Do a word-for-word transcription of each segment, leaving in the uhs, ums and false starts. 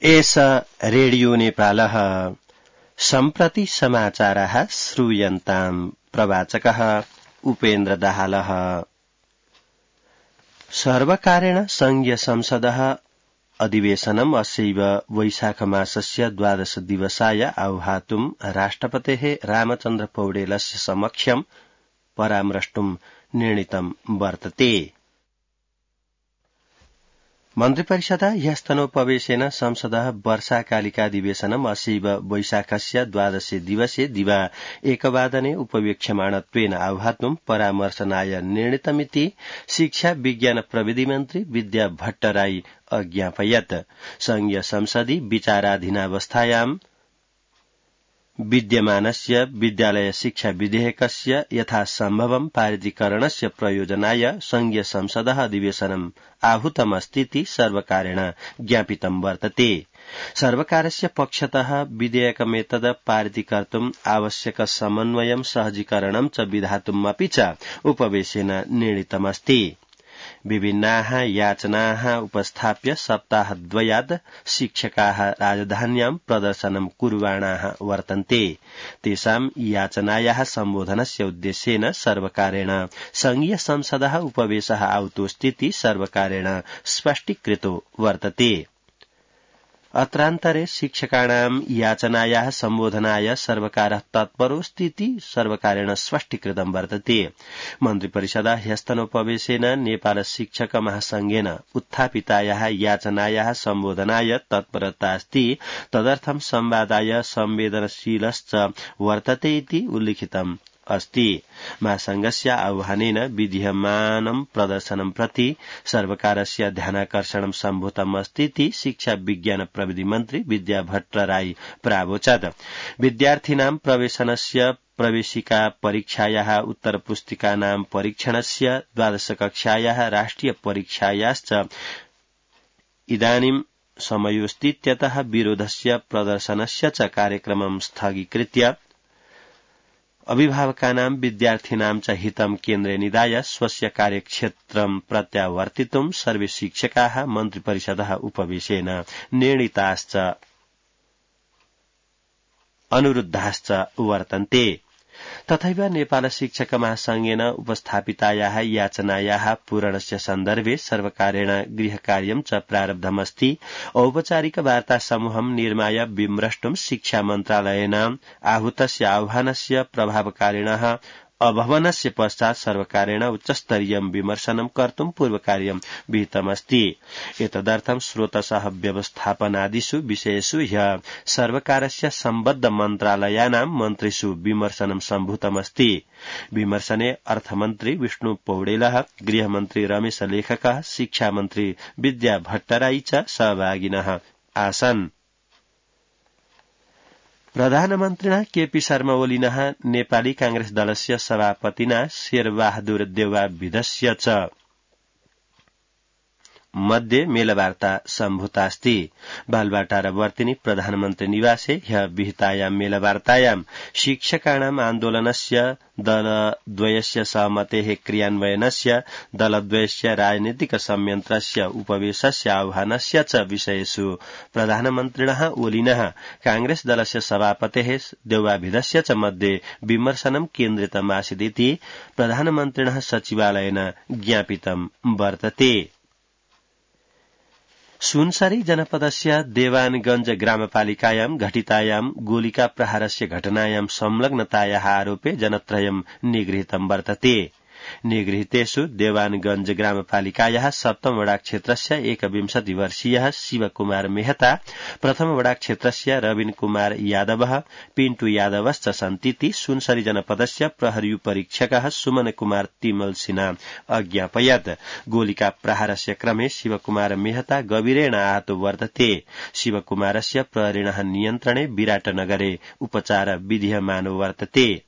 एष रेडियो नेपालः सम्प्रति समाचारः श्रूयन्ताम् प्रवाचकः उपेन्द्र दाहालः। सर्वकारेण संघीय संसदः अधिवेशनम् अस्यैव वैशाख मासस्य द्वादश दिवसाय आह्वातुम् राष्ट्रपतेः रामचन्द्र पौडेलस्य समक्षम् परामृष्टुम् निर्णीतम् वर्तते। मन्त्रिपरिषदा ह्यस्तनोपवेशेन संसदः वर्षाकालिकाधिवेशनम् अस्यैव वैशाखस्य द्वादशे दिवसे दिवा एकवादने उपवेक्ष्यमाणत्वेन आह्वातुम् परामर्शनाय निर्णीतमिति शिक्षा विज्ञान प्रविधि मन्त्री विद्या भट्टराई अज्ञापयत्। संघीय संसदि विचाराधीनावस्थायाम् विद्यमानस्य विद्यालय शिक्षा विधेयकस्य यथासम्भवम् पारितीकरणस्य प्रयोजनाय संघीय संसदः अधिवेशनम् आहूतमस्तीति सर्वकारेण ज्ञापितं वर्तते। सर्वकारस्य पक्षतः विधेयकमेतद् पारितीकर्तुम् आवश्यक समन्वयं सहजीकरणं च विधातुमपि च उपवेशेन निर्णीतमस्ति। विभिन्नाः याचनाः उपस्थाप्य सप्ताहद्वयात् शिक्षकाः राजधान्यां प्रदर्शनं कुर्वाणाः वर्तन्ते। तेषां याचनायाः सम्बोधनस्य उद्देश्येन सर्वकारेण संघीय संसदः उपवेशः आहुतोऽस्तीति सर्वकारेण स्पष्टीकृतो वर्तते। अत्रान्तरे शिक्षकाणां याचनायाः सम्बोधनाय सर्वकारः तत्परोऽस्तीति सर्वकारेण स्पष्टीकृतं वर्तते। मन्त्रिपरिषदा ह्यस्तनोपवेशेन नेपाल शिक्षक महासंघेन उत्थापितायाः याचनायाः सम्बोधनाय तत्परता अस्ति, तदर्थं संवादाय संवेदनशीलश्च वर्तते इति उल्लिखितम् अस्ति। महासंघस्य आह्वानेन विधीयमानं प्रदर्शनं प्रति सर्वकारस्य ध्यानाकर्षणं सम्भूतमस्तीति शिक्षा विज्ञान प्रविधि मन्त्री विद्या भट्टराई प्रावोचत्। विद्यार्थिनां प्रवेशनस्य प्रवेशिका परीक्षायाः उत्तरपुस्तिकानां परीक्षणस्य द्वादश कक्षायाः राष्ट्रिय परीक्षायाश्च इदानीं समयोस्तीत्यतः विरोधस्य प्रदर्शनस्य च कार्यक्रमं स्थगीकृत्य अभिभावकानां विद्यार्थिनां च हितं केन्द्रे निधाय स्वस्य कार्यक्षेत्रं प्रत्यावर्तितुं सर्वे शिक्षकाः मन्त्रिपरिषदः उपवेशेन निर्णीताश्च अनुरुद्धाश्च वर्तन्ते। तथैव नेपाल शिक्षक महासंघेन उपस्थापितायाः याचनायाः पूरणस्य सन्दर्भे सर्वकारेण गृहकार्यं च प्रारब्धमस्ति। औपचारिक वार्ता समूहं निर्माय विमृष्टुं शिक्षा मन्त्रालयेन आहूतस्य आह्वानस्य प्रभावकारिणः अभवनस्य पश्चात् सर्वकारेण उच्चस्तरीयं विमर्शनं कर्तुं पूर्वकार्यं विहितमस्ति। एतदर्थं स्रोतसः व्यवस्थापनादिषु विषयेषु ह्यः सर्वकारस्य सम्बद्ध मन्त्रालयानां मन्त्रिषु विमर्शनं सम्भूतमस्ति। विमर्शने अर्थमन्त्री विष्णु पौडेलः, गृहमन्त्री रमेश लेखकः, शिक्षामन्त्री विद्या भट्टराई च सहभागिनः आसन्। प्रधानमन्त्रिणा केपी शर्मा ओलिनः नेपाली कांग्रेस दलस्य सभापतिना शेरबहादुर देउवाविधस्य च मध्ये मेलवार्ता सम्भूतास्ति। बालबाटार वर्तिनि प्रधानमन्त्री निवासे ह्यः विहितायां मेलवार्तायां शिक्षकाणाम् आन्दोलनस्य दलद्वयस्य सहमतेः क्रियान्वयनस्य दलद्वयस्य राजनीतिक संयन्त्रस्य उपवेशस्य आह्वानस्य च विषयेषु प्रधानमन्त्रिणः ओलिनः कांग्रेस दलस्य सभापतेः देउवाविधस्य च मध्ये विमर्शनं केन्द्रितमासीदिति प्रधानमन्त्रिणः सचिवालयेन ज्ञापितं वर्तते। सुनसरी जनपदस्य देवानगंज ग्रामपालिकायां घटितायां गोलिका प्रहारस्य घटनायां संलग्नतायाः आरोपे जनत्रयं निगृहीतं वर्तते। निगृहीतेषु देवानगंज ग्रामपालिकायाः सप्तम वडा क्षेत्रस्य एकविंशति वर्षीयः शिवकुमार मेहता, प्रथम वडा क्षेत्रस्य रविन कुमार यादवः, पिन्टु यादवश्च सन्तीति सुनसरी जनपदस्य प्रहरी परीक्षकः सुमन कुमार तिमल सिन्हा अज्ञापयत्। गोलिका प्रहारस्य क्रमे शिवकुमार मेहता गभीरेण आहतो वर्तते। शिवकुमारस्य प्रहरिणः नियन्त्रणे विराटनगरे उपचार विधीयमानो वर्तते।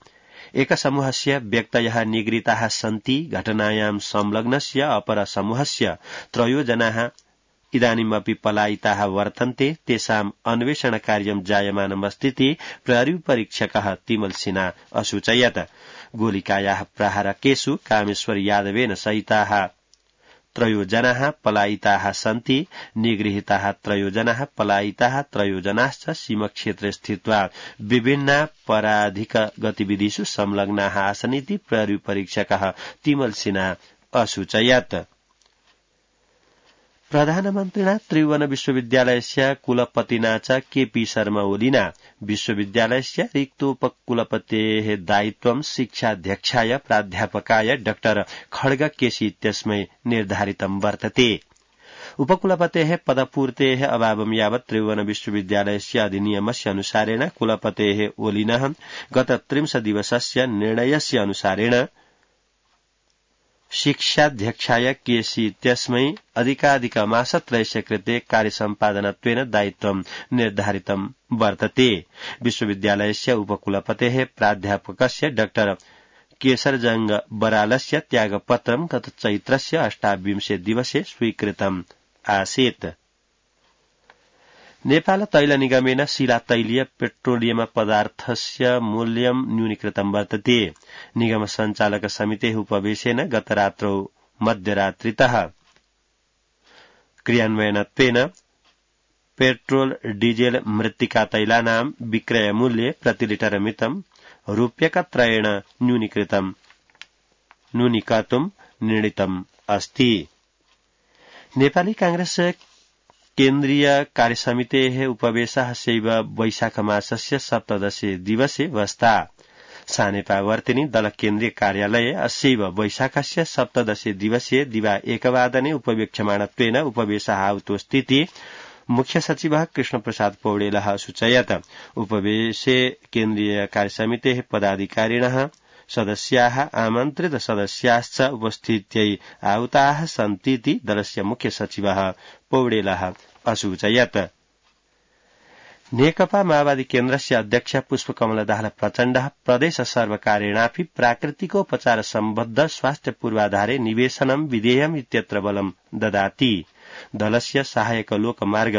एकसमूहस्य व्यक्तयः निगृहीताः सन्ति। घटनायां संलग्नस्य अपर समूहस्य त्रयो जनाः इदानीमपि पलायिताः वर्तन्ते। तेषाम् अन्वेषण कार्यं जायमानमस्तीति प्रहरी परीक्षकः तिमल सिन्हा असूचयत्। गोलिकायाः प्रहारकेषु कामेश्वर यादवेन सहिताः त्रयोजनाः पलायिताः सन्ति। निगृहीताः त्रयोजनाः पलायिताः त्रयोजनाश्च सीमक्षेत्रे स्थित्वा विभिन्नापराधिक गतिविधिषु संलग्नाः आसनिति प्रहरी परीक्षकः तिमल सिन्हा असूचयत्। प्रधानमन्त्रिणा त्रिभुवन विश्वविद्यालयस्य कुलपतिना च केपी शर्मा ओलीना विश्वविद्यालयस्य रिक्तोपकुलपतेः दायित्वं शिक्षाध्यक्षाय प्राध्यापकाय डाक्टर खड्ग केसी इत्यस्मै निर्धारितं वर्तते। उपकुलपतेः पदपूर्तेः अभावं यावत् त्रिभुवन विश्वविद्यालयस्य अधिनियमस्य अनुसारेण कुलपतेः ओलिनः गत त्रिंशदिवसस्य निर्णयस्य अनुसारेण शिक्षाध्यक्षाय केसी इत्यस्मै अधिकाधिकमासत्रयस्य कृते कार्यसम्पादनत्वेन दायित्वं निर्धारितं वर्तते। विश्वविद्यालयस्य उपकुलपतेः प्राध्यापकस्य डाक्टर केशरजंग बरालस्य त्यागपत्रं गत चैत्रस्य अष्टाविंशे दिवसे स्वीकृतम् आसीत्। नेपाल तैल निगमेन शिला तैलीय पेट्रोलियम पदार्थस्य मूल्यं न्यूनीकृतं वर्तते। निगम संचालक समितेः उपवेशेन गत रात्रौ मध्यरात्रितः क्रियान्वयनत्वेन पेट्रोल डीजेल मृत्तिका तैलानां विक्रय मूल्ये प्रति लिटर मितं रूप्यकत्रयेण न्यूनीकृतं न्यूनीकर्तुं निर्णीतम् अस्ति। नेपाली कांग्रेस केन्द्रीय कार्यसमितेः उपवेशः शैव वैशाखमासस्य सप्तदशे दिवसे वस्ता। सानेपावर्तिनी दल केन्द्रीय कार्यालये अस्यैव वैशाखस्य सप्तदशे दिवसे दिवा एकवादने उपवेक्ष्यमाणत्वेन उपवेशः आहुतोऽस्तीति मुख्य सचिवः कृष्णप्रसाद पौडेलः सूचयत्। उपवेशे केन्द्रीय कार्यसमितेः पदाधिकारिणः सदस्याः आमन्त्रित सदस्याश्च उपस्थित्यै आहुताः सन्तीति दलस्य मुख्य सचिवः पौडेलः असूचयत्। नेकपा माओवादी केन्द्रस्य अध्यक्ष पुष्पकमल दाहाल प्रचण्डः प्रदेश सर्वकारेणापि प्राकृतिकोपचार सम्बद्ध स्वास्थ्य पूर्वाधारे निवेशनं विधेयम् इत्यत्र बलं ददाति। दलस्य सहायक लोकमार्ग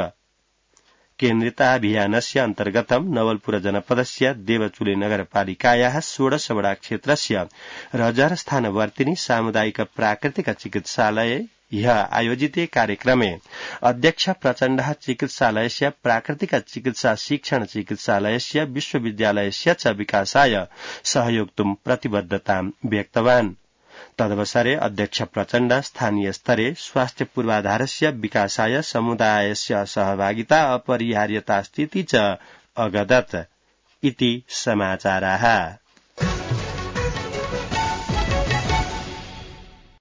केन्द्रिताभियानस्य अन्तर्गतं नवलपुर जनपदस्य देवचुले नगरपालिकायाः षोडश वडा क्षेत्रस्य रजरस्थानवर्तिनी सामुदायिक प्राकृतिक चिकित्सालये ह्यः आयोजिते कार्यक्रमे अध्यक्ष प्रचण्डः चिकित्सालयस्य प्राकृतिक चिकित्सा शिक्षण चिकित्सालयस्य विश्वविद्यालयस्य च विकासाय सहयोक्तुं प्रतिबद्धतां व्यक्तवान्। तदवसरे अध्यक्ष प्रचण्ड स्थानीय स्तरे स्वास्थ्य पूर्वाधारस्य विकासाय समुदायस्य सहभागिता अपरिहार्यतास्तीति च अगदत् इति समाचाराः।